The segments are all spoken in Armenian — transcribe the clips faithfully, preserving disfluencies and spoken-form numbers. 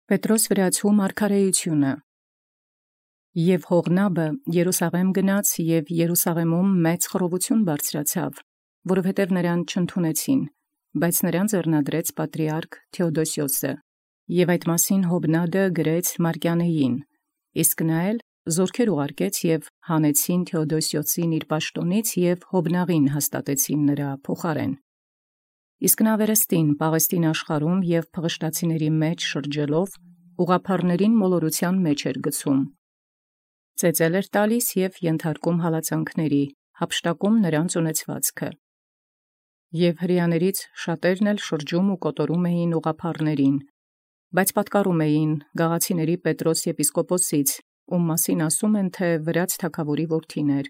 Պետրոս վրացու մարգարեությունը։ Եւ Հողնաբը Երուսաղեմ գնաց, և Երուսաղեմում մեծ խռովություն բարձրացավ, որովհետև նրան չընդունեցին, բայց նրան ձեռնադրեց պատրիարք Թէոդոսիոսը, և այդ մասին Հովնադը գրեց Մարկյանեին, իսկ նա էլ զորքեր ուղարկեց և հանեցին Թէոդոսիոսին իր պաշտոնից և Հովնաղին հաստատեցին նրա փոխարեն։ Իսկ նա վերստին Պաղեստին աշխարհում և փղշտացիների մեջ շրջելով, ուղղափառներին մոլորության մեջ էր գցում, ծեծել էր տալիս և ենթարկում հալածանքների, հափշտակում նրանց ունեցվածքը։ Եւ հրեաներից շատերն էլ շրջում ու կոտորում էին ուղղափառներին, բայց պատկառում էին գաղացիների Պետրոս եպիսկոպոսից, ում մասին ասում են, թէ վրաց թագաւորի որդին էր,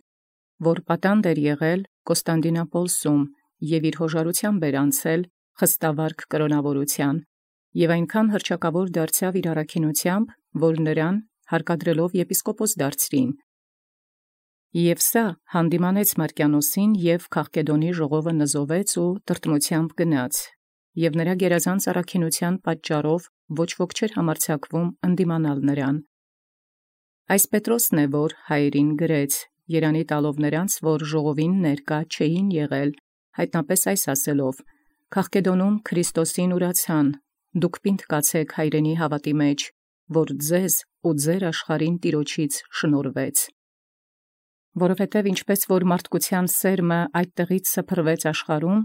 որ պատանդ էր եղել Կոստանդինապոլսում և իր հոժարութեամբ էր անցել խստավարք կրոնաւորութեան, և այնքան հռչակաւոր դարձավ իր առաքինութեամբ, որ նրան հարկադրելով եպիսկոպոս դարձրին։ Եւ սա հանդիմանեց Մարկյանոսին, և Քաղկեդոնի ժողովը նզովեց ու տրտմութեամբ գնաց, և նրա գերազանց առաքինութեան պատճառով ոչ ոք չէր համարձակվում ընդդիմանալ նրան։ Այս Պետրոսն է, որ հայերին գրեց, երանի տալով նրանց, որ ժողովին ներկա չէին եղել, յայտնապէս այս ասելով. «Քաղկեդոնում Քրիստոսին ուրացան, դուք պինդ կացէք հայրենի հաւատի մեջ, որ ձեզ ու ձեր աշխարհին Տեառնից շնորհվեց։ Որովհետև ինչպէս որ մարդկության սերմը այդ տեղից սփռվեց աշխարհում,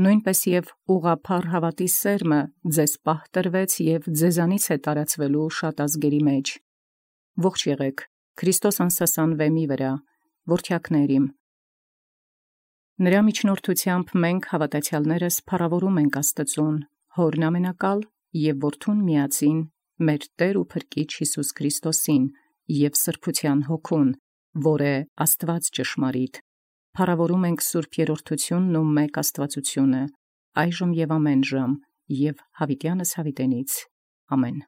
նոյնպէս և ուղղափառ հաւատի սերմը ձեզ պահ տրվեց և ձեզանից է տարածվելու շատ ազգերի մեջ։ Ողջ եղեք Քրիստոս անսասան վեմի վրա, որդեակներ իմ։ Նրա միջնորդութեամբ մենք հաւատացեալներս փառաւորում ենք Աստուծոյ, Հօրն ամենակալ և Որդուն միածին, մեր Տէր ու Փրկիչ Յիսուս Քրիստոսին, և սրբութեան Հոգուն, որ է Աստուած ճշմարիտ. փառաւորում ենք սուրբ երրորդութիւնն ու մեկ Աստուածութիւնը, այժմ և ամենժամ, և յաւիտեանս յաւիտենից. ամեն։